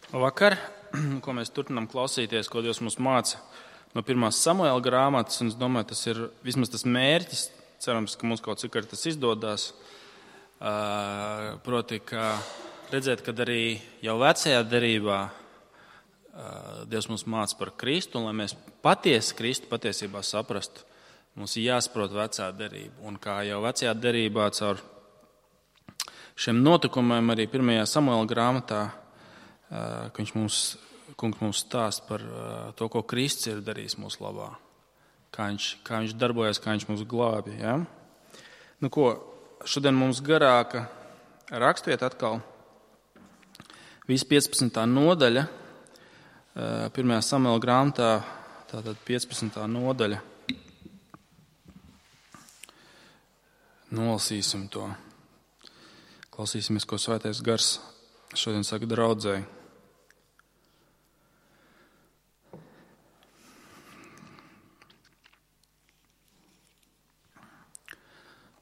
Vakar, ko mēs turpinām klausīties, ko Dievs mums māca no 1. Samuēla grāmatas, un es domāju, tas ir vismaz tas mērķis, cerams, ka mums kaut cik tas izdodas, proti, ka redzēt, kad arī jau vecajā derībā Dievs mums māca par Kristu, un lai mēs patiesi Kristu patiesībā saprastu, mums ir jāsaprot vecā derība, un kā jau vecajā derībā caur šiem notikumiem arī 1. Samuēla grāmatā, ka kungs mums stāsta par to, ko Kristus ir darījis mūsu labā, kā viņš darbojas, kā viņš mūs glābi. Ja? Nu ko, šodien mums garāka rakstiet atkal visa 15. nodaļa, 1. Samuēla grāmatā, tātad 15. nodaļa. Nolasīsim to. Klausīsimies, ko Svētais Gars šodien saka draudzēji.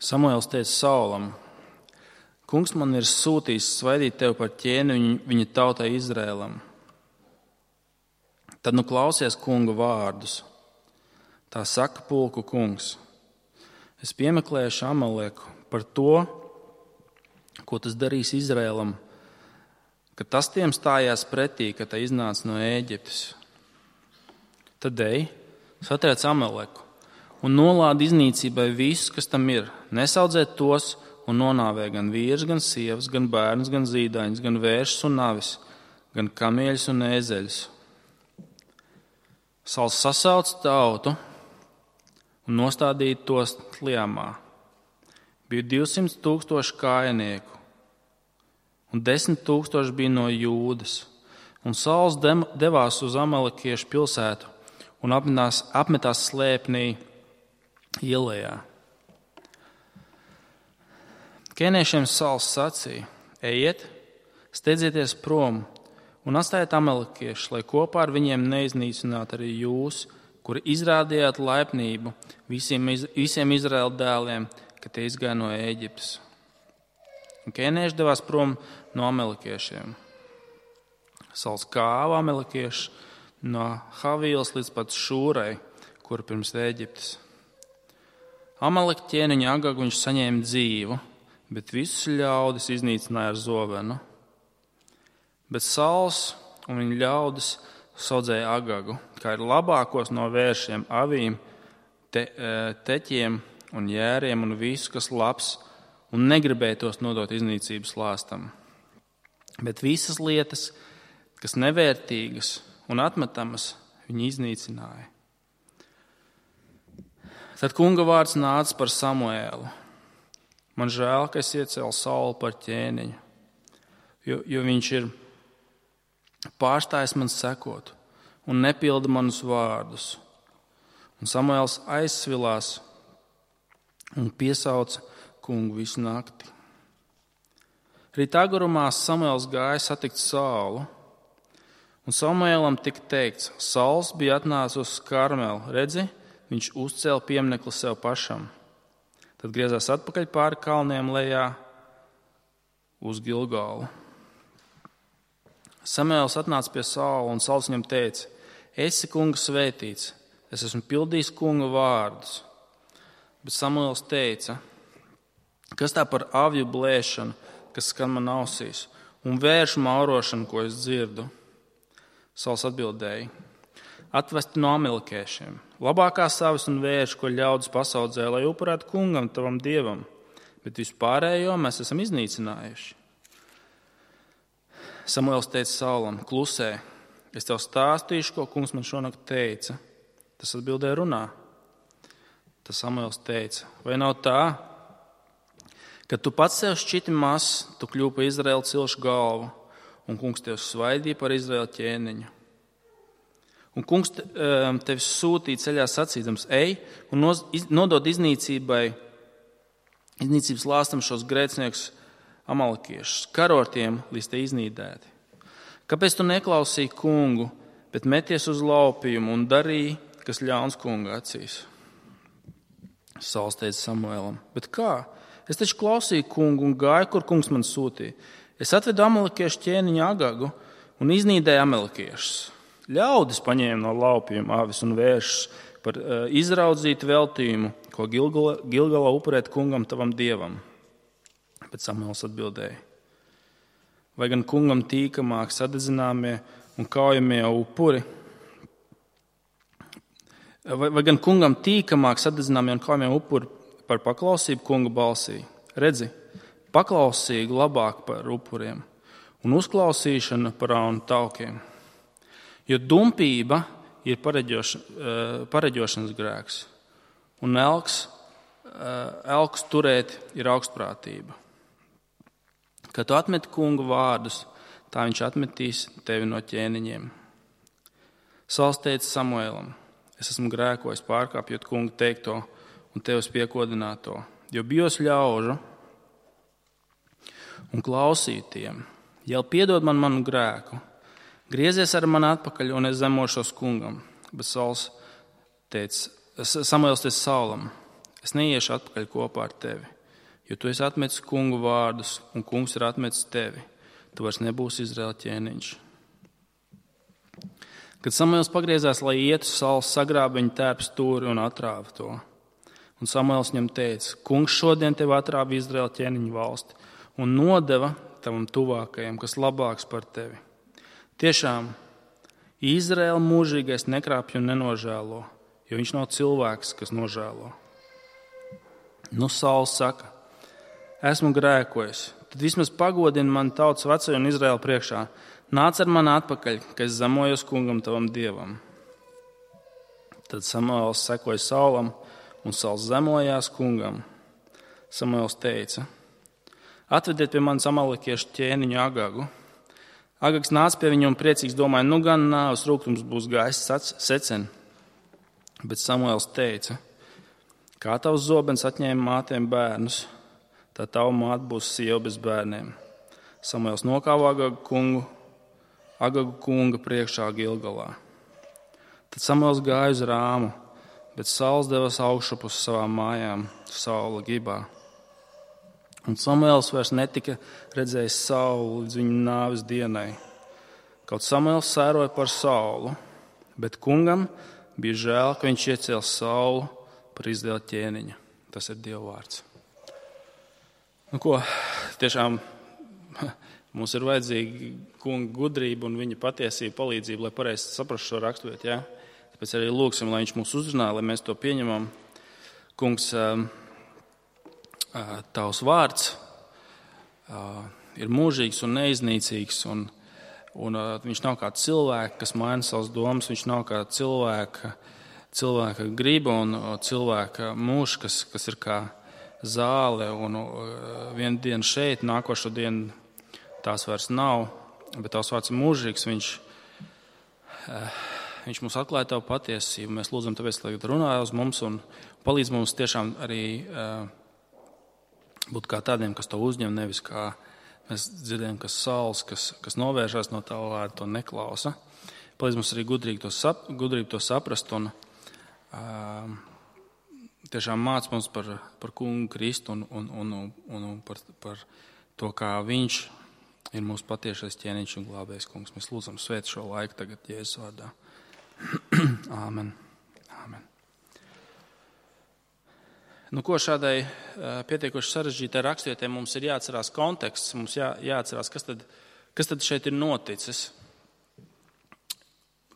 Samuēls teica Saulam: Kungs man ir sūtījis svaidīt tevi par ķēni viņa tautai Izrēlam. Tad nu klausies kunga vārdus. Tā saka pulku kungs: Es piemeklēšu Amaleku par to, ko tas darīs Izrēlam, ka tas tiem stājās pretī, kad tā iznāca no Ēģiptes. Tad ej, satriec Amaleku un nolādi iznīcībai visus, kas tam ir. Nesaudzēt tos un nonāvē gan vīrs, gan sievas, gan bērns, gan zīdaiņus, gan vēršus un navis, gan kamieļus un ēzeļus. Sauls sasauc tautu un nostādīja tos Tliamā. Bija 200,000 kājinieku, un 10,000 bija no Jūdas. Un Sauls devās uz Amalekiešu pilsētu un apmetās slēpnī ielējā. Kēniešiem Sauls sacīja: Ejiet, steidzieties prom un atstājiet Amalekiešus, lai kopā ar viņiem neiznīcinātu arī jūs, kuri izrādījāt laipnību visiem Izraēla dēliem, kad tie izgāja no Ēģiptes. Un kēnieši devās prom no Amalekiešiem. Sauls kāva Amalekiešus no Havīlas līdz pat Šūrai, kur pirms Ēģiptes. Amaleka ķēniņa Agagu viņš saņēma dzīvu, bet visus ļaudis iznīcināja ar zovenu. Bet Sauls un viņa ļaudis saudzēja Agagu, kā ir labākos no vēršiem, avīm, teķiem un jēriem un visu, kas labs, un negribēja tos nodot iznīcības lāstam. Bet visas lietas, kas nevērtīgas un atmetamas, viņi iznīcināja. Tad kunga vārds nāca par Samuēlu: Man žēl, ka es iecēlu Saulu par ķēniņu, jo viņš ir pārstājis man sekot un nepilda manus vārdus. Un Samuēls aizsvilās un piesauca kungu visu nakti. Rīt agurumā Samuēls gāja satikt Saulu, un Samuēlam tika teikts: Sauls bija atnācis uz Karmelu, redzi, viņš uzcēla pieminekli sev pašam. Tad griezās atpakaļ pāri kalniem lejā uz Gilgalu. Samuēls atnāca pie Saula, un Sauls viņam teica: Esi kunga svētīts, es esmu pildījis kunga vārdus. Bet Samuēls teica: Kas tā par avju blēšanu, kas skan man ausīs, un vēršu maurošanu, ko es dzirdu? Sauls atbildēja: Atvesti no Amalekiešiem, labākās savis un vēršu, ko ļaudis pasaudzē, lai upurētu kungam, tavam dievam, bet vispārējo mēs esam iznīcinājuši. Samuēls teica Saulam: Klusē, es tev stāstīšu, ko kungs man šonakt teica. Tas atbildēja: Runā. Tas Samuēls teica: Vai nav tā, ka tu pats sev šķiti mazs, tu kļūpi par Izraēla cilšu galvu, un kungs tev svaidīja par Izraēla ķēniņu? Un kungs tevi sūtīja ceļā sacīdams: Ej un nodod iznīcības lāstam šos grēciniekus Amalekiešus, karo ar tiem, līdz tie iznīdēti. Kāpēc tu neklausīji kungu, bet meties uz laupījumu un darīji, kas ļauns kunga acīs? Sauls teica Samuēlam: Bet kā? Es taču klausīju kungu un gāju, kur kungs man sūtīja. Es atvedu Amalekiešu ķēniņu Agagu, un iznīdēja amalekiešus. Ļaudis paņēma no laupījuma avis un vēršas par izraudzītu veltījumu, ko Gilgalā upurēt kungam tavam dievam. Bet Samuels atbildēja: vai gan kungam tīkamāk sadedzināmie un kaujamie upuri? Vai gan kungam tīkamāk sadedzināmie un kaujamie upuri par paklausību kunga balsī? Redzi, paklausīgi labāk par upuriem un uzklausīšana par aunu taukiem. Jo dumpība ir pareģošanas grēks, un elks turēt ir augstprātība. Kad tu atmeti kunga vārdus, tā viņš atmetīs tevi no ķēniņiem. Sauls teica Samuēlam: es esmu grēkojis pārkāpjot kunga teikto un tevis piekodināto, jo bijos ļaužu un klausīju tiem. Jau piedod man manu grēku, griezies ar mani atpakaļ un es zemošos kungam. Bet Samuēls teica Saulam: es neiešu atpakaļ kopā ar tevi, jo tu esi atmetis kungu vārdus un kungs ir atmetis tevi. Tu vairs nebūsi Izraēla ķēniņš. Kad Samuēls pagriezās, lai ietu, Sauls sagrāba viņa tērpa stūri un atrāva to. Un Samuēls viņam teica: kungs šodien tev atrāva Izraēla ķēniņu valsti un nodeva tavam tuvākajam, kas labāks par tevi. Tiešām, Izraēla mūžīgais nekrāpj un nenožēlo, jo viņš nav cilvēks, kas nožēlo. Nu, Sauls saka: esmu grēkojis, tad vismaz pagodini man tautas vecoju un Izraēlu priekšā. Nāc ar mani atpakaļ, ka es zemojos kungam tavam dievam. Tad Samuēls sekoja Saulam, un Sauls zemojās kungam. Samuēls teica: atvediet pie manis amalekiešu ķēniņu Agagu. Agags nāca pie viņa un priecīgs domāja: nu gan nāves rūgtums būs gājis secen. Bet Samuēls teica: kā tavs zobens atņēma mātēm bērnus, tā tava māte būs sieva bez bērniem. Samuēls nokāva Agagu kunga priekšā Gilgalā. Tad Samuēls gāja uz Rāmu, bet Sauls devās augšup uz savām mājām Saula Gibā. Un Samuēls vairs netika redzējis Saulu līdz viņa nāves dienai. Kaut Samuēls sēroja par Saulu, bet kungam bija žēl, ka viņš iecēla Saulu par Izraēla ķēniņu. Tas ir Dieva vārds. Nu ko, tiešām mums ir vajadzīga kunga gudrība un viņa patiesība palīdzība, lai pareizi saprastu šo raksturvietu. Ja? Tāpēc arī lūgsim, lai viņš mūs uzrunā, lai mēs to pieņemam. Kungs, tavs vārds ir mūžīgs un neiznīcīgs, un viņš nav kā cilvēks, kas maina savas domas, viņš nav kā cilvēka griba un cilvēka mūžs, kas ir kā zāle, un vienu dienu šeit, nākošo dienu tās vairs nav, bet tavs vārds ir mūžīgs, viņš mums atklāja tavu patiesību. Mēs lūdzam tāpēc, lai runā uz mums un palīdz mums tiešām arī būt kā tādiem, kas to uzņem, nevis kā mēs dzirdējam, kas Sauls, kas novēršās no tava vārda, to neklausa. Palīdz mums arī gudrību to saprast un tiešām māc mums par kungu Kristu un par to, kā viņš ir mūsu patiešais ķēniņš un glābējs kungs. Mēs lūdzam svēt šo laiku tagad Jēzus vārdā. Āmen. Āmen. Nu, ko šādai pietiekoši sarežģītai rakstvietē mums ir jāatcerās konteksts, mums jāatcerās, kas tad šeit ir noticis.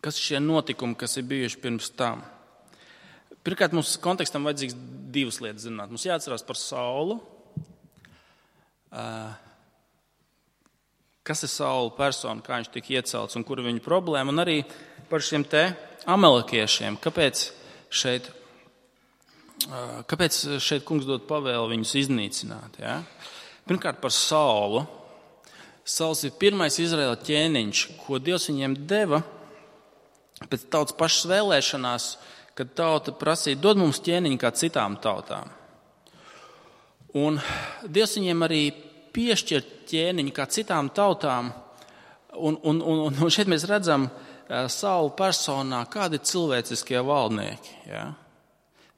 Kas ir šie notikumi, kas ir bijuši pirms tam? Pirmkārt, mums kontekstam vajadzīgs divas lietas zināt. Mums jāatcerās par Saulu. Kas ir Saula persona, kā viņš tika iecelts un kur ir viņa problēma, un arī par šiem te amalekiešiem. Kāpēc šeit kungs dod pavēli viņus iznīcināt? Ja? Pirmkārt, par Saulu. Sauls ir pirmais Izraēla ķēniņš, ko Dievs viņiem deva pēc tautas pašas vēlēšanās, kad tauta prasīja: dod mums ķēniņu kā citām tautām. Un Dievs viņiem arī piešķirt ķēniņu kā citām tautām, un šeit mēs redzam Saula personā, kādi ir cilvēciskie valdnieki. Ja?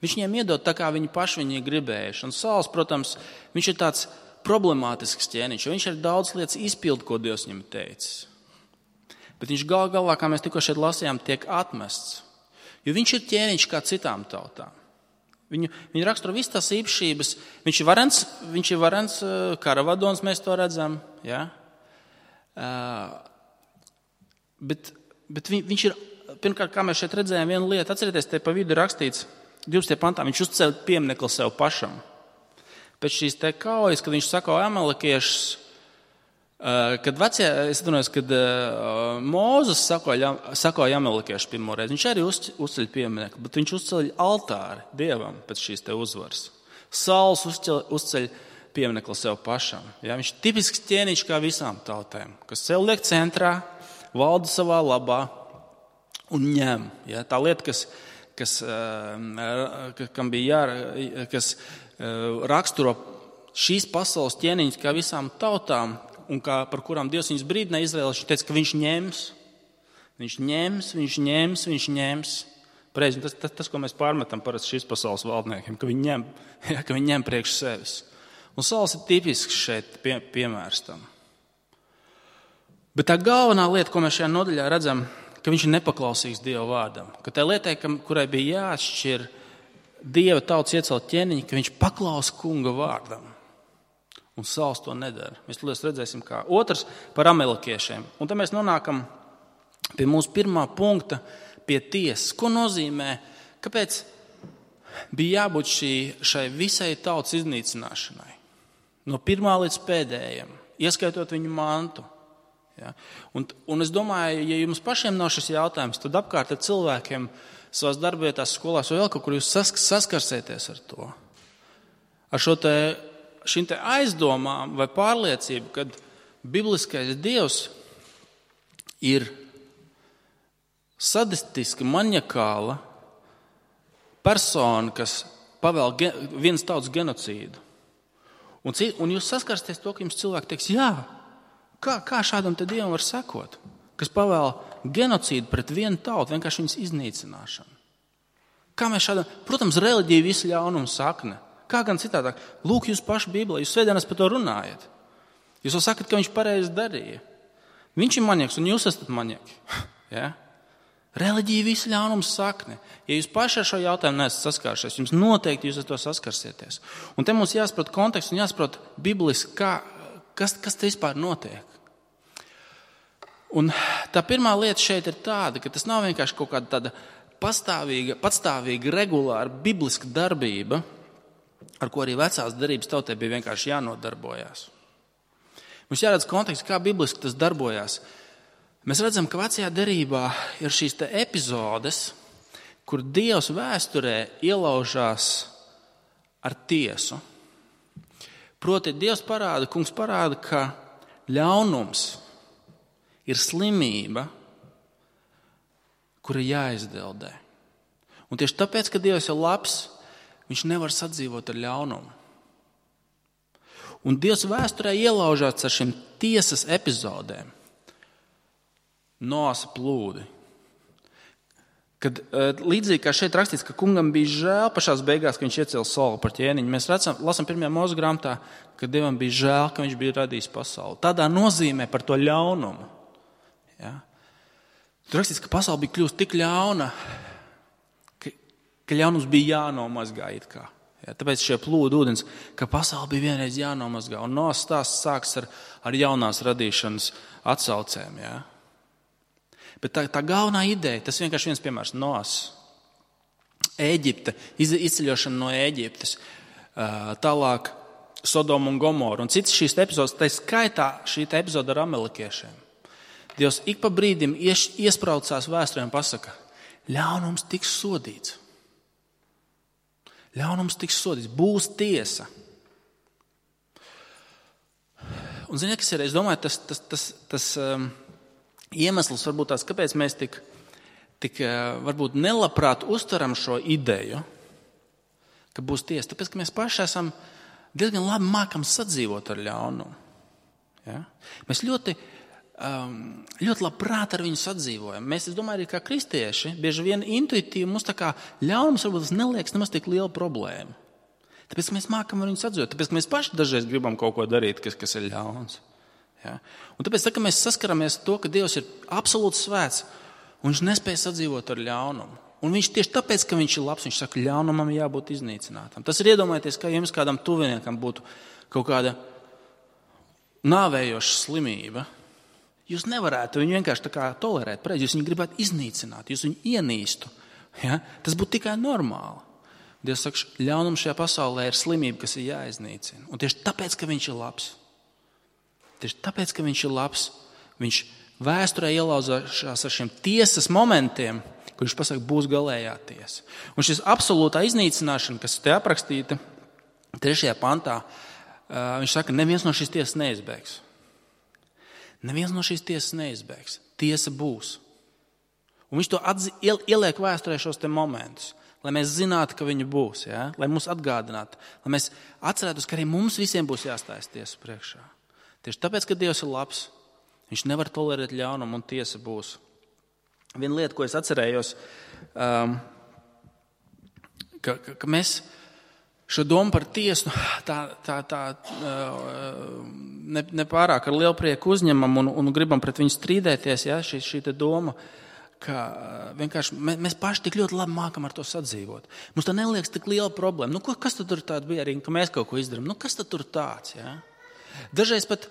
Viņš viņiem iedod tā, kā viņi paši viņi gribējuši. Un Sauls, protams, viņš ir tāds problemātisks ķēniņš, jo viņš ir daudz lietas izpildu, ko Dievs viņam teicis. bet viņš galā, kā mēs tikko šeit lasījām, tiek atmests. Jo viņš ir ķēniņš kā citām tautām. Viņu raksturo visas tās īpašības. Viņš ir varens karavadons, mēs to redzam. Ja? Bet viņš ir, pirmkārt, kā mēs šeit redzējām, viena lieta. Atcerieties, te pa vidu rakstīts 12. pantā, viņš uzceļ pieminekli sev pašam. Pēc šīs te kaujas, kad viņš sakoja amalekiešus, kad Mūzes sakoja amalekiešus pirmoreiz, viņš arī uzceļ pieminekli, bet viņš uzceļ altāri Dievam pēc šīs te uzvaras. Sauls uzceļ pieminekli sev pašam. Ja? Viņš ir tipisks ķēniņš kā visām tautēm, kas sev liek centrā, valda savā labā un ņem. Ja? Tā lieta, kas raksturo šīs pasaules ķēniņus kā visām tautām un par kurām Dievs viņus brīdināja Izraēlieši, viņš teica, ka viņš ņems. Pareizi, tas, ko mēs pārmetam parasti šīs pasaules valdniekiem, ka viņi ņem priekš sevis. Un Sauls ir tipisks šeit piemērs tam. Bet tā galvenā lieta, ko mēs šajā nodaļā redzam, ka viņš ir nepaklausīgs Dieva vārdam. Ka tā lietai, kurai bija jāatšķir Dieva tautas iecelt ķēniņi, ka viņš paklausa kunga vārdam. Un Sauls to nedara. Mēs tūlīt redzēsim, kā. Otrs par amalekiešiem. Un tad mēs nonākam pie mūsu pirmā punkta, pie tiesas. Ko nozīmē, kāpēc bija jābūt šai visai tautas iznīcināšanai? No pirmā līdz pēdējiem, ieskaitot viņu mantu. Ja? Un es domāju, ja jums pašiem nav šis jautājums, tad apkārt ar cilvēkiem savās darbietās, skolās vai vēl kaut kur jūs saskarsieties ar to. Ar šīm te aizdomām vai pārliecību, kad bibliskais Dievs ir sadistiska, maņakāla persona, kas pavēl vienas tautas genocīdu. Un jūs saskarsieties to, ka jums cilvēki teiks, jā, kā šādam te Dievam var sekot, kas pavēl genocīdu pret vienu tautu, vienkārši viņas iznīcināšanu. Kā mēs šādam, protams, reliģija visu ļaunumu sakne. Kā gan citādāk? Lūk, jūs paši Bībelē, jūs svētdienās par to runājat. Jūs jau sakat, ka viņš pareizi darīja. Viņš ir maņaks un jūs esat maņaki. Ja? Reliģija visu ļaunumu sakne. Ja jūs paši ar šo jautājumu neesat saskāršies, jums noteikti jūs ar to saskarsieties. Un te mums jāsaprot konteksts un jāsaprot bibliski, kas te vispār notiek. Un tā pirmā lieta šeit ir tāda, ka tas nav vienkārši kaut kāda tāda patstāvīga, regulāra, bibliska darbība, ar ko arī vecās derības tautai bija vienkārši jānodarbojās. Mums jāredz konteksts, kā bibliski tas darbojās. Mēs redzam, ka vecajā derībā ir šīs te epizodes, kur Dievs vēsturē ielaužās ar tiesu. Proti, Kungs parāda, ka ļaunums ir slimība, kura jāizdeldē. Un tieši tāpēc, ka Dievs ir labs, viņš nevar sadzīvot ar ļaunumu. Un Dievs vēsturē ielaužās ar šīm tiesas epizodēm. Noasa plūdi. Kad līdzīgi kā šeit rakstīts, ka kungam bija žēl pašās beigās, ka viņš iecēla Saulu par ķēniņu, mēs lasām 1. Mūzes grāmatā, ka Dievam bija žēl, ka viņš bija radījis pasauli. Tādā nozīmē par to ļaunumu. Ja? Tur rakstīts, ka pasaule bija kļūst tik ļauna, ka ļaunums bija jānomazgā it kā. Ja, tāpēc šie plūdu ūdens, ka pasaule bija vienreiz jānomazgā. Un Noas stāsts sāks ar jaunās radīšanas atsaucēm. Ja. Bet tā galvenā ideja, tas vienkārši viens piemērs, Noas. Ēģipte, izceļošana no Ēģiptes, tālāk Sodoma un Gomora un citas šīs epizodes, tā skaitā šī epizode ar amalekiešiem. Dievs ik pa brīdim iespraucās vēsturē un pasaka, ļaunums tiks sodīts. Ļaunums tiks sodīts, būs tiesa. Un ziniet, kas ir, es domāju, tas iemesls varbūt tās, kāpēc mēs tik varbūt nelabprāt uztveram šo ideju, ka būs tiesa. Tāpēc, ka mēs paši esam diezgan labi mākam sadzīvot ar ļaunumu. Ja? Mēs ļoti labprāt ar viņu sadzīvojam. Mēs, es domāju, arī kā kristieši, bieži vien intuitīvi mums tā kā ļaunums varbūt tas neliekas nemaz tik liela problēma. Tāpēc mēs mākam ar viņu sadzīvot. Tāpēc mēs paši dažreiz gribam kaut ko darīt, kas ir ļauns. Ja? Un tāpēc, kad mēs saskaramies ar to, ka Dievs ir absolūti svēts, un viņš nespēja sadzīvot ar ļaunumu. Un viņš tieši tāpēc, ka viņš ir labs, viņš saka, ļaunumam jābūt iznīcinātam. Tas ir iedomājieties, ka jums kādam tuviniekam būtu kaut kāda nāvējoša slimība. Jūs nevarētu viņu vienkārši tā kā tolerēt, jūs viņu gribētu iznīcināt, jūs viņu ienīstu. Ja? Tas būtu tikai normāli. Dievs saka, ļaunums šajā pasaulē ir slimība, kas ir jāiznīcina. Un tieši tāpēc, ka viņš ir labs. Tieši tāpēc, ka viņš ir labs, viņš vēsturē ielauzās ar šiem tiesas momentiem, kur viņš pasaka, būs galējā tiesa. Un šis absolūtā iznīcināšana, kas te aprakstīta 3. pantā, viņš saka, neviens no šīs tiesas neizbēgs. Neviens no šīs tiesas neizbēgs. Tiesa būs. Un viņš to ieliek vēsturē šos te momentus, lai mēs zinātu, ka viņi būs, ja? Lai mums atgādinātu, lai mēs atcerētos, ka arī mums visiem būs jāstājas tiesas priekšā. Tieši tāpēc, ka Dievs ir labs, viņš nevar tolerēt ļaunumu un tiesa būs. Viena lieta, ko es atcerējos, ka mēs šo domu par tiesu nepārāk ar lielu prieku uzņemam un gribam pret viņu strīdēties, ja? Šī doma, ka vienkārši mēs paši tik ļoti labi mākam ar to sadzīvot. Mums tā neliekas tik liela problēma. Kas tad tur tāda bija arī, ka mēs kaut ko izdarām? Kas tad tur tāds, ja? Dažreiz pat,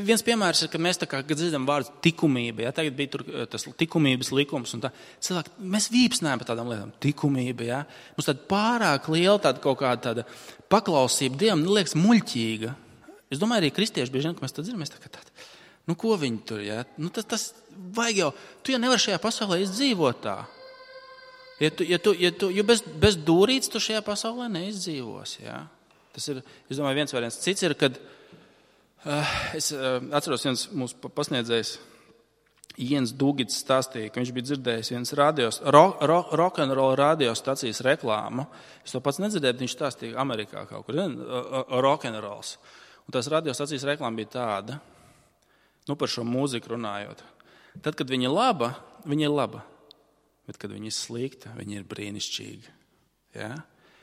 viens piemērs ir, ka mēs tā kā, kad dzirdam vārdu tikumība, ja? Tagad bija tur tas likumības likums un tā. Cilvēki, mēs vīpsnējam par tādām lietām. Tikumība, ja? Mums tāda pārāk liela tāda kaut kāda tāda paklausība Dievam, liekas muļķīga. Es domāju, arī kristieši bieži vien, ka mēs tā dzirdam, mēs tā kā tāda. Ko viņi tur, ja? Tas vajag jau, tu jau nevar šajā pasaulē izdzīvot tā. Ja bez dūrītes tu šajā pasaulē neizdzīvos, ja? Tas ir, es domāju, viens variants. Cits ir, kad es atceros viens mūsu pasniedzējs, Jens Dugits stāstīja, ka viņš bija dzirdējis viens rock'n'roll radiostacijas reklāmu. Es to pats nedzirdēju, bet viņš stāstīja Amerikā kaut kur, rock'n'rolls. Un tās radiostacijas reklāma bija tāda, par šo mūziku runājot. Tad, kad viņa ir laba. Bet, kad viņa ir slikta, viņa ir brīnišķīga. Ja?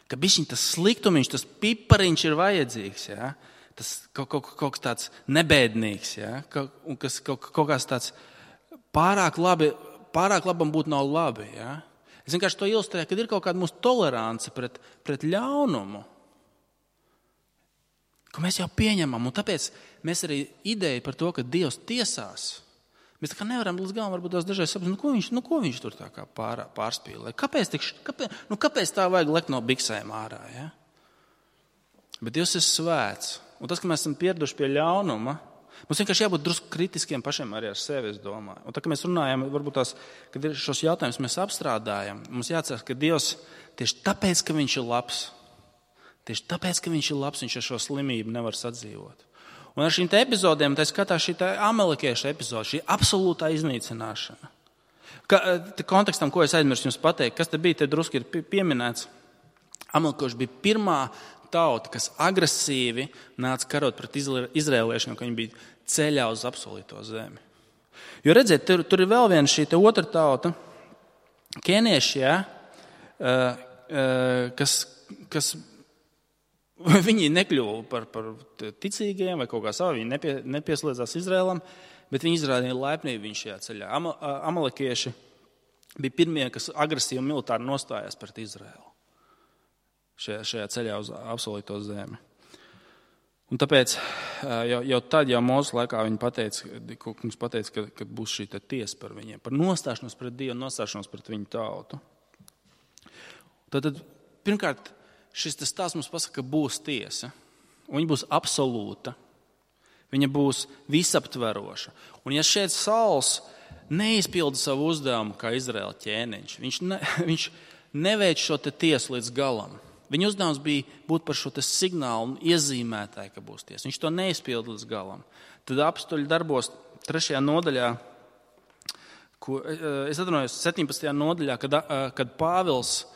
Ka bišķiņ tas sliktumiņš, tas pipariņš ir vajadzīgs. Ja? Tas kaut kas tāds nebēdnīgs. Ja? Un kas kaut kāds tāds pārāk labam būt nav labi. Ja? Es vienkārši to ilustrēju, kad ir kaut kāda mūsu tolerance pret ļaunumu. Ko mēs jau pieņemam, un tāpēc mēs arī ideju par to, ka Dievs tiesās, mēs tā kā nevaram līdz galam varbūt tās dažreiz saprast, ko viņš tur tā kā pārspīlē. Kāpēc tā vajag lekt no biksēm ārā, ja? Bet Dievs ir svēts, un tas, ka mēs esam pieraduši pie ļaunuma, mums vienkārši jābūt drusku kritiskiem pašiem arī ar sevi, es domāju. Un tā, ka mēs runājam, varbūt tās, kad šos jautājumus mēs apstrādājam, mums jāatcerās, ka Dievs tieši tāpēc, ka viņš ir labs, tieši tāpēc, ka viņš ir labs, viņš ar šo slimību nevar sadzīvot. Un ar šīm te epizodēm, tā skatās šī amalekieša epizode, šī absolūtā iznīcināšana. Kontekstam, ko es aizmirsu jums pateikt, kas te bija, te drusku ir pieminēts. Amalekieši bija pirmā tauta, kas agresīvi nāca karot pret izrēliešiem, ka viņi bija ceļā uz apsolīto zemi. Jo redziet, tur ir vēl viena šī te otra tauta, kenieši, ja, kas viņi nekļuva par ticīgiem vai kaut kā savu, viņi nepieslēdzās Izrēlam, bet viņi izrādīja laipnību viņu šajā ceļā. Amalekieši bija pirmie, kas agresīvi militāri nostājās pret Izrēlu šajā ceļā uz apsolīto zemi. Un tāpēc jau tad, Mūzes laikā viņi pateica, ka būs šī tiesa par viņiem, par nostāšanos pret Dievu, nostāšanos pret viņu tautu. Tad pirmkārt, šis stāsts mums pasaka, ka būs tiesa, un viņa būs absolūta, viņa būs visaptveroša. Un ja šeit Sauls neizpilda savu uzdevumu kā Izraēla ķēniņš, viņš neveic šo tiesu līdz galam. Viņa uzdevums bija būt par šo signālu un iezīmētāju, ka būs tiesa. Viņš to neizpilda līdz galam. Tad apstuļu darbos 3. nodaļā, es atvainojos 17. nodaļā, kad Pāvils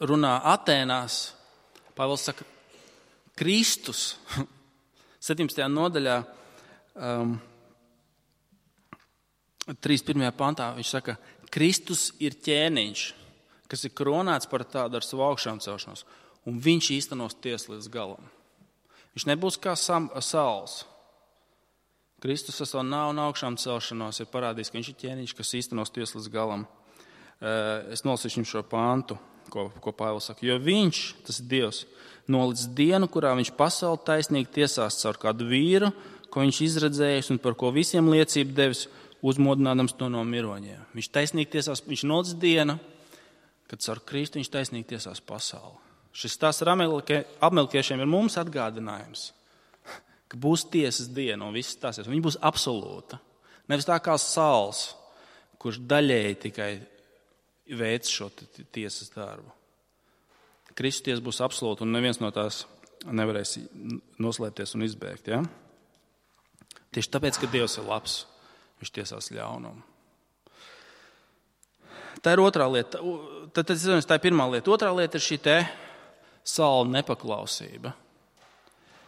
runā Atēnās, Pāvils saka, Kristus, 17. nodaļā, 3.1. pantā, viņš saka, Kristus ir ķēniņš, kas ir kronēts par tādu ar savu augšām celšanos. un viņš īstenos tiesu līdz galam. Viņš nebūs kā Sauls. Kristus ar savu nāvu un augšām celšanos ir parādījis, ka viņš ir ķēniņš, kas īstenos tiesu līdz galam. Es nolasīšu jums šo pāntu, ko Pāvils saka. Jo viņš, tas ir Dievs, nolic dienu, kurā viņš pasauli taisnīgi tiesās caur kādu vīru, ko viņš izredzējis un par ko visiem liecību devis, uzmodinādams to no miroņiem. Viņš taisnīgi tiesās, viņš nolic dienu, kad caur Kristu viņš taisnīgi tiesās pasauli. Šis stāsts ar amalkiešiem ir mums atgādinājums, ka būs tiesas diena un viss stāsies. Viņa būs absolūta. Nevis tā kā Sauls, kurš daļēji tikai veic šo tiesas darbu. Kristus tiesa būs absolūta un neviens no tās nevarēs noslēpties un izbēgt. Ja? Tieši tāpēc, ka Dievs ir labs, viņš tiesās ļaunumu. Tā ir otrā lieta. Tā ir pirmā lieta. Otrā lieta ir šī Saula nepaklausība.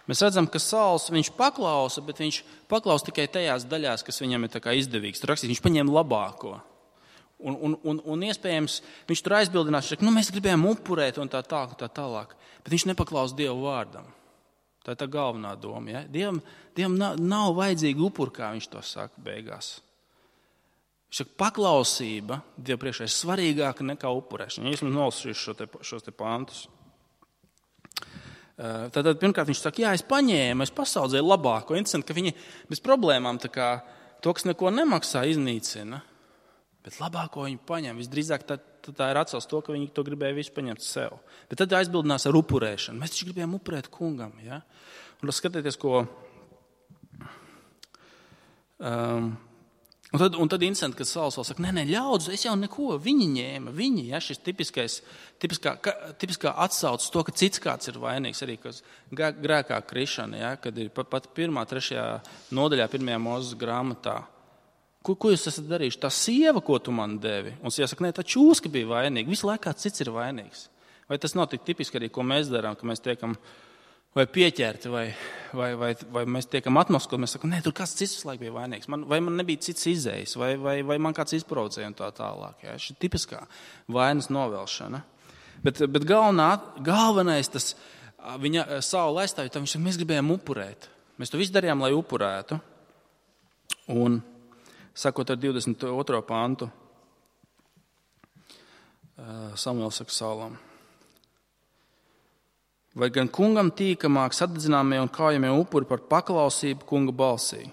Mēs redzam, ka Sauls viņš paklausa, bet viņš paklausa tikai tajās daļās, kas viņam ir tā kā izdevīgs. Rakstīt, viņš paņēma labāko. Un iespējams, viņš tur aizbildinās, ka mēs gribējām upurēt un tā tālāk. Bet viņš nepaklausa Dievu vārdam. Tā ir tā galvenā doma. Ja? Dievam nav vajadzīga upur, kā viņš to saka beigās. Viņš saka, paklausība Dievu priekšā ir svarīgāka nekā upurēšana. Ja esmu nolasījuši šos te pantus. Tad pirmkārt viņš saka, es paņēmu, es pasaudzēju labāko. Interesanti, ka viņi bez problēmām to, kas neko nemaksā, iznīcina. Bet labāko viņi paņem. Visdrīzāk tā ir atcels to, ka viņi to gribēja visu paņemt sev. Bet tad aizbildinās ar upurēšanu. Mēs taču gribējām upurēt kungam. Ja? Un skatieties, ko... Un tad interesanti, kad Sauls vēl saka, nē, ļaudz, es jau neko, viņi ņēma, ja, šis tipiskā atsaucas to, ka cits kāds ir vainīgs, arī grēkā krišana, ja, kad ir pat 1., 3. nodaļā, 1. Mūzes grāmatā. Ko jūs esat darījuši? Tā sieva, ko tu man devi? Un jāsaka, nē, tā čūska bija vainīga, visu laikā cits ir vainīgs. Vai tas nav tik tipiski arī, ko mēs darām, ka mēs tiekam vai pieķerti, vai mēs tiekam atmoskot, mēs sakam, nē, tur kāds cits laiku bija vainīgs, vai man nebija cits izējis, vai man kāds izprovocēja un tā tālāk. Ja? Šī tipiskā vainas novelšana. Bet galvenais tas viņa Saula aizstāvja, viņš saka, mēs gribējām upurēt. Mēs to visu darījām, lai upurētu. Un, sakot ar 22. pantu, Samuēls saka Saulam, vai gan kungam tīkamāk sadedzināmie un kājamie upuri par paklausību kunga balsī?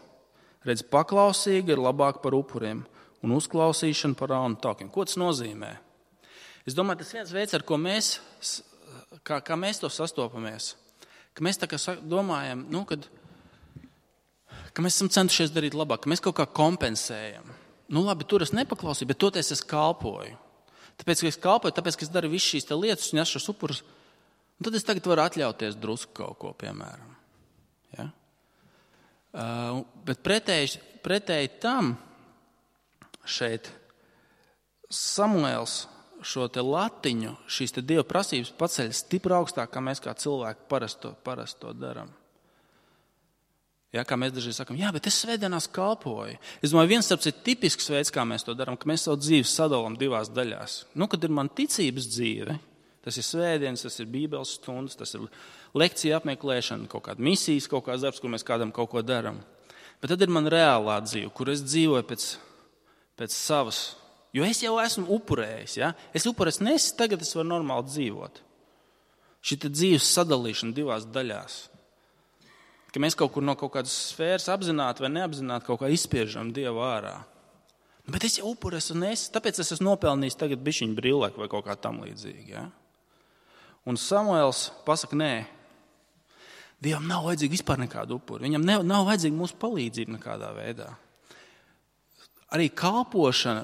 Redz, paklausīga ir labāk par upuriem un uzklausīšana par raunu taukiem. Ko tas nozīmē? Es domāju, tas viens veids, ar ko mēs, kā mēs to sastopamies, ka mēs tā kā domājam, ka mēs esam centušies darīt labāk, ka mēs kaut kā kompensējam. Labi, tur es nepaklausīju, bet toties es kalpoju. Tāpēc, ka es kalpoju, tāpēc, ka es daru visu šīs lietas un es šos upurus, un tad es tagad varu atļauties drusku kaut ko, piemēram. Ja? Bet pretēji tam šeit Samuēls šo te latiņu, šīs te Dieva prasības paceļ stipri augstāk, kā mēs kā cilvēki parasti to daram. Ja, kā mēs dažreiz sakam, bet es svētdienās kalpoju. Es domāju, viens starps ir tipisks veids, kā mēs to daram, ka mēs savu dzīvi sadalām divās daļās. Kad ir man ticības dzīve, tas ir svētdienas, tas ir bībeles stundas, tas ir lekcija apmeklēšana, kaut kāda misijas, kaut kāds darbs, kur mēs kādam kaut ko daram. Bet tad ir man reālā dzīve, kur es dzīvoju pēc savas, jo es jau esmu upurējis. Ja? Es upurēju, tagad es varu normāli dzīvot. Šī dzīves sadalīšana divās daļās. Ka mēs kaut kur no kaut kādas sfēras apzināti vai neapzināti kaut kā izspiežam Dievu ārā. Bet es jau upurēju, tāpēc es esmu nopelnījis tagad bišķiņu brillēku vai kaut kā tam līdzīgi. Ja? Un Samuēls pasaka, nē, Dievam nav vajadzīga vispār nekāda upura. Viņam nav vajadzīga mūsu palīdzība nekādā veidā. Arī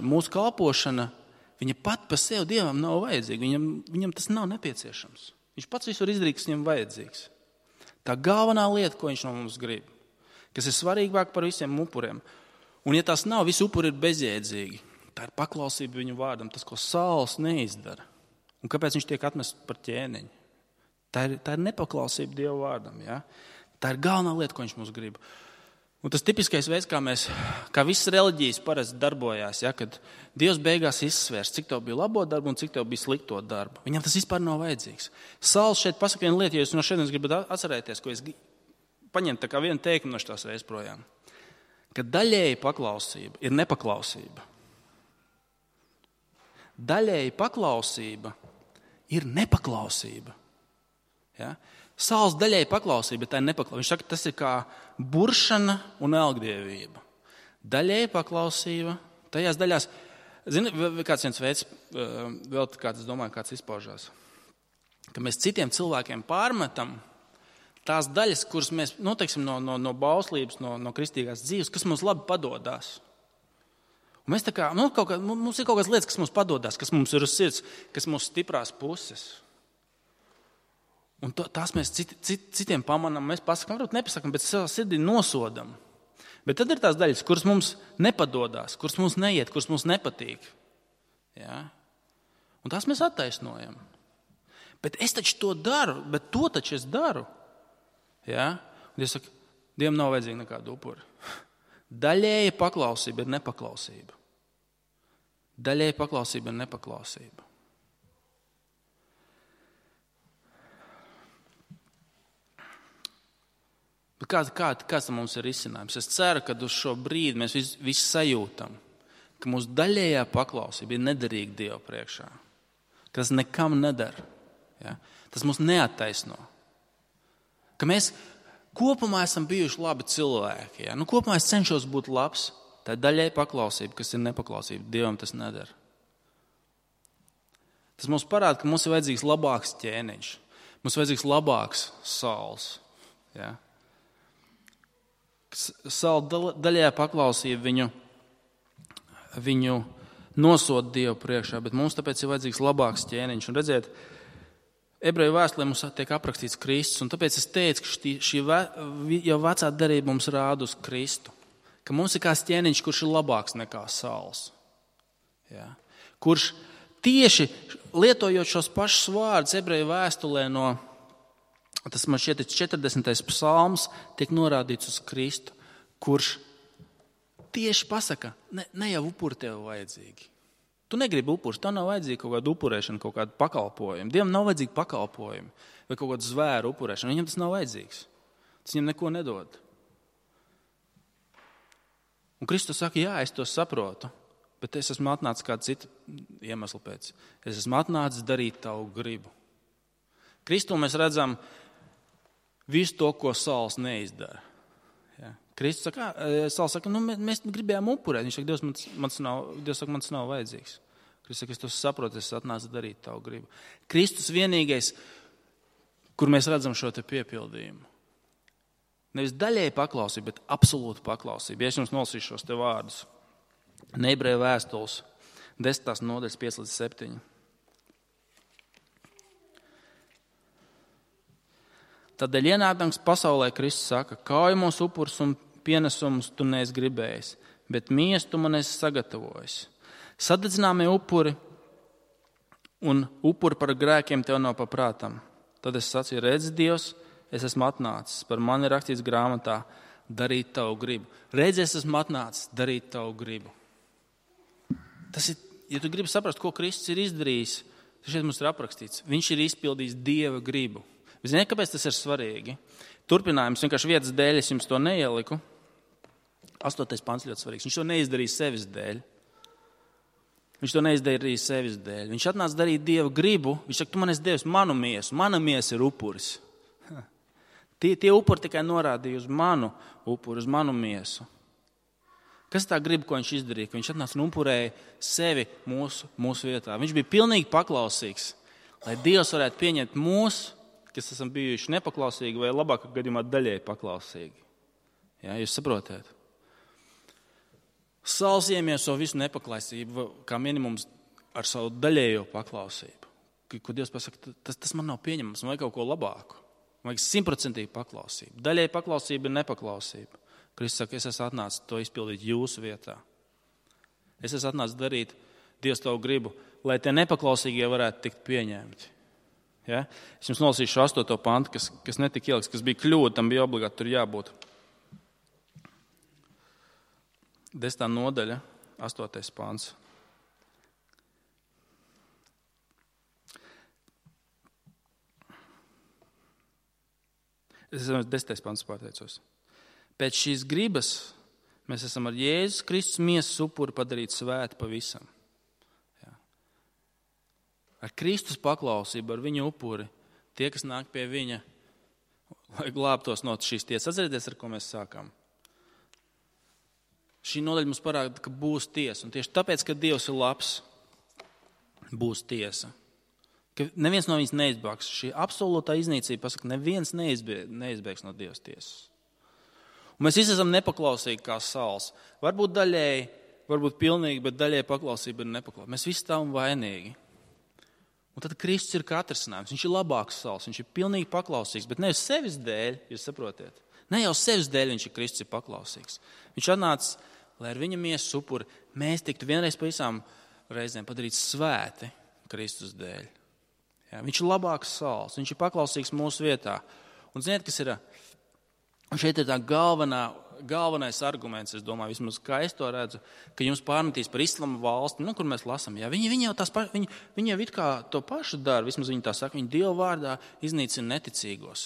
mūsu kalpošana, viņa pat pa sevi Dievam nav vajadzīga. Viņam tas nav nepieciešams. Viņš pats visu var izdarīt, kas viņam vajadzīgs. Tā galvenā lieta, ko viņš no mums grib, kas ir svarīgāk par visiem upuriem. Un ja tās nav, visi upuri ir bezjēdzīgi. Tā ir paklausība viņu vārdam, tas, ko Sauls neizdara. Un kāpēc viņš tiek atmests par ķēniņu? Tā ir nepaklausība Dieva vārdam. Ja? Tā ir galvenā lieta, ko viņš mums grib. Un tas tipiskais veids, kā visas reliģijas parasti darbojās, ja, kad Dievs beigās izsvērs, cik tev bija labo darbu un cik tev bija slikto darbu. Viņam tas vispār nav vajadzīgs. Sauls šeit pasaka vienu lietu, ja jūs no šodienas gribat atcerēties, ko es paņemt tā kā vienu teikumu no šitās reizes projām. Ka daļēji paklausība ir nepaklausība. Daļēji paklausība ir nepaklausība. Ja? Sauls daļēji paklausība, bet tā ir nepaklausība. Viņš saka, tas ir kā buršana un elgdievība. Daļēji paklausība, tajās daļās, zini, kāds viens veids, vēl kāds, es domāju, kāds izpaužās, ka mēs citiem cilvēkiem pārmetam tās daļas, kuras mēs, teiksim, no bauslības, no kristīgās dzīves, kas mums labi padodās. Un mēs tā kā, mums ir kaut kādas lietas, kas mums padodās, kas mums ir uz sirds, kas mūsu stiprās puses. Un tās mēs citiem pamanām, mēs pasakām, varbūt nepasakām, bet savā sirdī nosodam. Bet tad ir tās daļas, kuras mums nepadodās, kuras mums neiet, kuras mums nepatīk. Ja? Un tās mēs attaisnojam. Bet es taču to daru, bet to taču es daru. Ja? Un Dievs saka, Dievam nav vajadzīga nekāda upura. Daļēja paklausība ir nepaklausība. Daļēja paklausība ir nepaklausība. Bet kāds mums ir risinājums? Es ceru, ka uz šo brīdi mēs visi sajūtam, ka mūsu daļējā paklausība ir nederīga Dieva priekšā. Ka tas nekam nedara. Ja? Tas mūs neattaisno. Ka mēs kopumā esam bijuši labi cilvēki. Ja? Kopumā es cenšos būt labs. Tā ir daļēja paklausība, kas ir nepaklausība. Dievam tas nedara. Tas mums parāda, ka mums ir vajadzīgs labāks ķēniņš. Mums ir vajadzīgs labāks Sauls. Ja? Saula daļējā paklausība viņu nosod Dievu priekšā, bet mums tāpēc ir vajadzīgs labāks ķēniņš. Un redziet, Ebreju vēstulē mums tiek aprakstīts Kristus, un tāpēc es teicu, ka šī jau vecā derība mums rāda uz Kristu. Ka mums ir kāds ķēniņš, kurš ir labāks nekā Sauls. Ja? Kurš tieši lietojot šos pašus vārdus Ebreju vēstulē tas man šķiet 40. psalms tiek norādīts uz Kristu, kurš tieši pasaka, ne jau upuri tev vajadzīgi. Tu negribi upurus, tev nav vajadzīga kaut kāda upurēšana, kaut kāda pakalpojuma. Dievam nav vajadzīga pakalpojuma vai kaut kāda zvēru upurēšana. Viņam tas nav vajadzīgs. Tas viņam neko nedod. Un Kristus saka, jā, es to saprotu, bet es esmu atnācis kādu citu iemeslu pēc. Es esmu atnācis darīt tavu gribu. Kristu mēs redzam visu to, ko Sauls neizdara. Ja. Kristus saka, Sauls saka, mēs gribējām upurēt. Viņš saka, Dievs saka, man tas nav vajadzīgs. Kristus saka, es to saprotu, es atnācu darīt tavu gribu. Kristus vienīgais, kur mēs redzam šo te piepildījumu. Nevis daļēji paklausība, bet absolūta paklausība. Ja es jums nolasīšu šos te vārdus. Ebreju vēstules 10. nodaļas 5-7. Tādēļ ienākdams pasaulē Kristus saka, kaujamos upurus un pienesumus tu neesi gribējis, bet miesu tu man esi sagatavojis. Sadedzināmie upuri un upuri par grēkiem tev nav paprātam. Tad es sacīju, redzi Dievs, es esmu atnācis, par mani rakstīts grāmatā, darīt tavu gribu. Redzi, es esmu atnācis, darīt tavu gribu. Tas ir, ja tu gribi saprast, ko Kristus ir izdarījis, tad šeit mums ir aprakstīts. Viņš ir izpildījis Dieva gribu. Ziniet, kāpēc tas ir svarīgi? Turpinājums, vienkārši vietas dēļ es jums to neieliku. 8. pants ļoti svarīgs. Viņš to neizdarīja sevis dēļ. Viņš atnāca darīt Dieva gribu. Viņš saka, tu man esi devis manu miesu. Mana miesa ir upuris. Tie upuri tikai norādīja uz manu upuri, uz manu miesu. Kas tā griba, ko viņš izdarīja? Viņš atnāca un upurēja sevi mūsu vietā. Viņš bija pilnīgi paklausīgs, lai Dievs varētu pieņemt mūsu, kas esam bijuši nepaklausīgi vai labākā gadījumā daļēji paklausīgi. Jā, jūs saprotat? Sauls iemieso visu nepaklausību, kā minimums ar savu daļējo paklausību. Ko Dievs pasaka, tas man nav pieņemams, man vajag kaut ko labāku. Man vajag 100% paklausību. Daļēji paklausība ir nepaklausība. Kristus saka, es esmu atnācis to izpildīt jūsu vietā. Es esmu atnācis darīt Dievs tavu gribu, lai tie nepaklausīgie varētu tikt pieņemti. Ja? Es jums nolasīšu 8. pantu, kas netika ieliks, kas bija kļūda, tam bija obligāti tur jābūt. 10. nodaļa, 8. pants. Es esmu 10. pants pārteicos. Pēc šīs gribas mēs esam ar Jēzus Kristus miesas upuri padarīti svēti pavisam. Jā. Ar Kristus paklausību, ar viņa upuri, tie, kas nāk pie viņa, lai glābtos no šīs tiesas. Atcerieties, ar ko mēs sākām. Šī nodaļa mums parāda, ka būs tiesa. Un tieši tāpēc, ka Dievs ir labs, būs tiesa. Ka neviens no viņas neizbēgs. Šī absolūtā iznīcība pasaka, neviens neizbēgs no Dievas tiesas. Un mēs visi esam nepaklausīgi kā Sauls. Varbūt daļēji, varbūt pilnīgi, bet daļēji paklausība ir nepaklausība. Mēs visi esam vainīgi. Un tad Kristus ir kā atrisinājums. Viņš ir labāks Sauls, viņš ir pilnīgi paklausīgs, bet ne uz sevis dēļ, jūs saprotiet. Ne jau sevis dēļ viņš ir Kristus ir paklausīgs. Viņš atnāca, lai ar viņa miesas upuri mēs tiktu vienreiz pa visām reizēm padarīti svēti Kristus dēļ. Jā, viņš ir labāks Sauls, viņš ir paklausīgs mūsu vietā. Un ziniet, kas ir? Šeit ir tā galvenais arguments, es domāju, vismaz kā es to redzu, ka jums pārmetīs par islama valsti, kur mēs lasām. Jā, viņi jau it kā to pašu dara, vismaz viņi tā saka, viņi Dieva vārdā iznīcina neticīgos.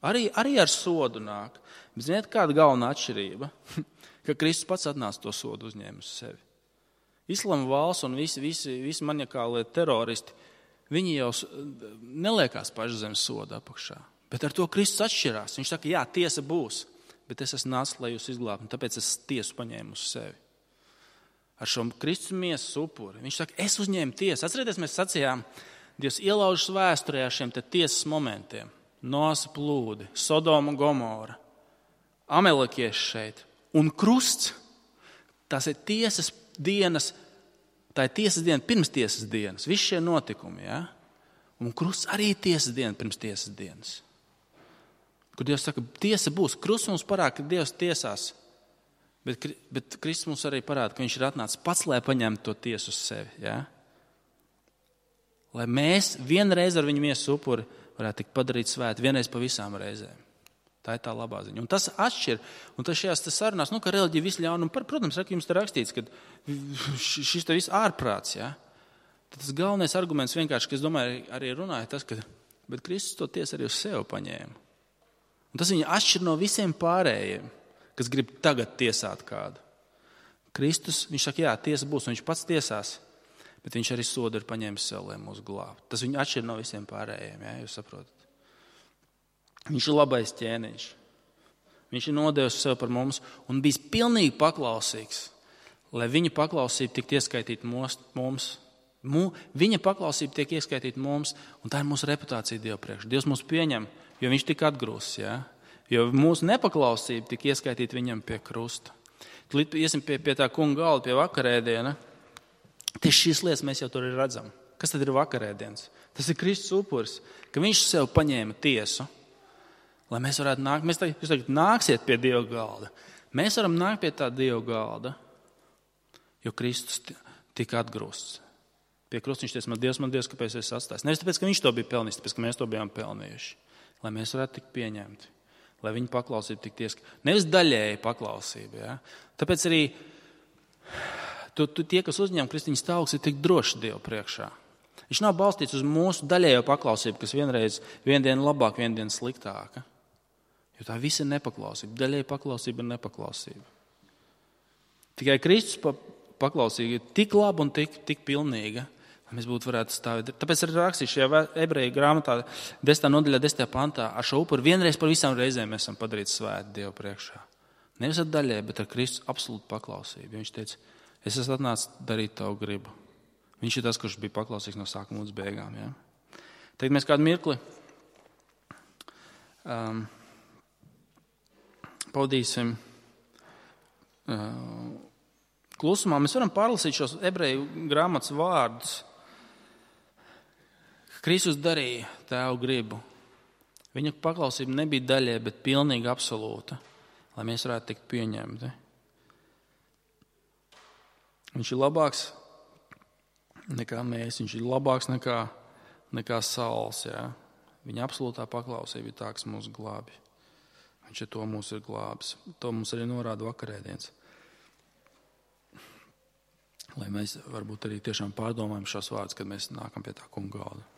Arī ar sodu nāk. Bet ziniet, kāda galvenā atšķirība? Ka Kristus pats atnāca to sodu uzņēma uz sevi. Islama valsts un visi maniakālie teroristi, viņi jau neliekās paši zem soda apakšā. Bet ar to Kristus atšķirās. Viņš saka, jā, tiesa būs, bet es esmu nācis, lai jūs izglābtu, un tāpēc es tiesu paņēmu uz sevi. Ar šo Kristus miesas upuri. Viņš saka, es uzņēmu tiesu. Atcerieties, mēs sacījām, Dievs ielaužas vēsturē ar šiem te tiesas momentiem. Noasa plūdi, Sodoma, Gomora, Amelekieši šeit. Un krusts, tās ir tiesas dienas. Tā ir tiesas diena pirms tiesas dienas. Visi šie notikumi, ja? Un krusts arī ir tiesas diena pirms tiesas dienas. Kur Dievs saka, tiesa būs. Krusts mums parāda, ka Dievs tiesās. Bet Kristus mums arī parāda, ka viņš ir atnācis pats, lai paņemtu to tiesu uz sevi. Ja? Lai mēs vienreiz ar viņu miesas upuri varētu tikt padarīt svēti, vienreiz pa visām reizēm. Tā ir tā labā ziņa. Un tas atšķir. Un tas šajās sarunās, ka reliģija visu ļaunu. Protams, jums te rakstīts, ka šis te viss ārprāts. Ja? Tad tas galvenais arguments vienkārši, ka es domāju, arī runāja tas, ka bet Kristus to tiesu arī uz sevi paņēma. Un tas viņu atšķir no visiem pārējiem, kas grib tagad tiesāt kādu. Kristus, viņš saka, jā, tiesa būs, un viņš pats tiesās, bet viņš arī sodu ir paņēmis sev, lai mūs glābtu. Tas viņu atšķir no visiem pārējiem, ja? Jūs saprotat. Viņš ir labais ķēniņš. Viņš ir nodevis sev par mums un bijis pilnīgi paklausīgs, lai viņa paklausība tiktu ieskaitīta mums. Viņa paklausība tiek ieskaitīta mums, un tā ir mūsu reputācija Dieva priekš. Dievs mūs pieņem, jo viņš tika atgrūsts, ja? Jo mūsu nepaklausība tika ieskaitīta viņam pie krusta. Tad iesim pie tā kunga galda, pie vakarēdiena. Tieši šīs lietas mēs jau tur redzam. Kas tad ir vakarēdiens? Tas ir Kristus upuris, ka viņš sev paņēma tiesu. Lai mēs varētu nākt, jūs tagad nāksiet pie Dieva galda. Mēs varam nākt pie tā Dieva galda, jo Kristus tika atgrūsts. Pie krusta viņš teica, man Dievs, kāpēc es atstājos? Nevis tāpēc, ka viņš to bija pelnījis, tāpēc, ka mēs to bijām pelnījuši. Lai mēs varētu tikt pieņemti, lai viņa paklausība tiktu ieskaitīta. Nevis daļēji paklausība. Ja? Tāpēc arī tie, kas uzņem Kristīņas tauks, ir tik droši Dievu priekšā. Viņš nav balstīts uz mūsu daļējo paklausību, kas vienu dienu labāk, vienu dienu sliktāka. Jo tā visa ir nepaklausība. Daļēji paklausība ir nepaklausība. Tikai Kristus paklausība ir tik laba un tik pilnīga, lai mēs būtu varētu stāvēt. Tāpēc arī rakstīts šajā ebreju grāmatā 10. nodaļā, 10. pantā, ar šo upuri vienreiz par visām reizēm mēs esam padarīti svēti Dievu priekšā. Nevis ar daļēji, bet ar Kristus absolūtu paklausību. Viņš teica, es esmu atnācis darīt tavu gribu. Viņš ir tas, kurš bija paklausīgs no sākuma līdz beigām. Ja? Tagad mēs kādu mirkli paudīsim klusumā. Mēs varam pārlasīt šos ebreju grāmatas vārdus. Kristus darīja Tēva gribu. Viņa paklausība nebija daļai, bet pilnīgi absolūta, lai mēs varētu tikt pieņemti. Viņš ir labāks nekā mēs, viņš ir labāks nekā Sauls. Ja? Viņa absolūtā paklausība ir tā, kas mūs glābi. Viņš ar to mūs ir glābis. To mums arī norāda vakarēdienas. lai mēs varbūt arī tiešām pārdomājam šos vārdus, kad mēs nākam pie tā kunga galda.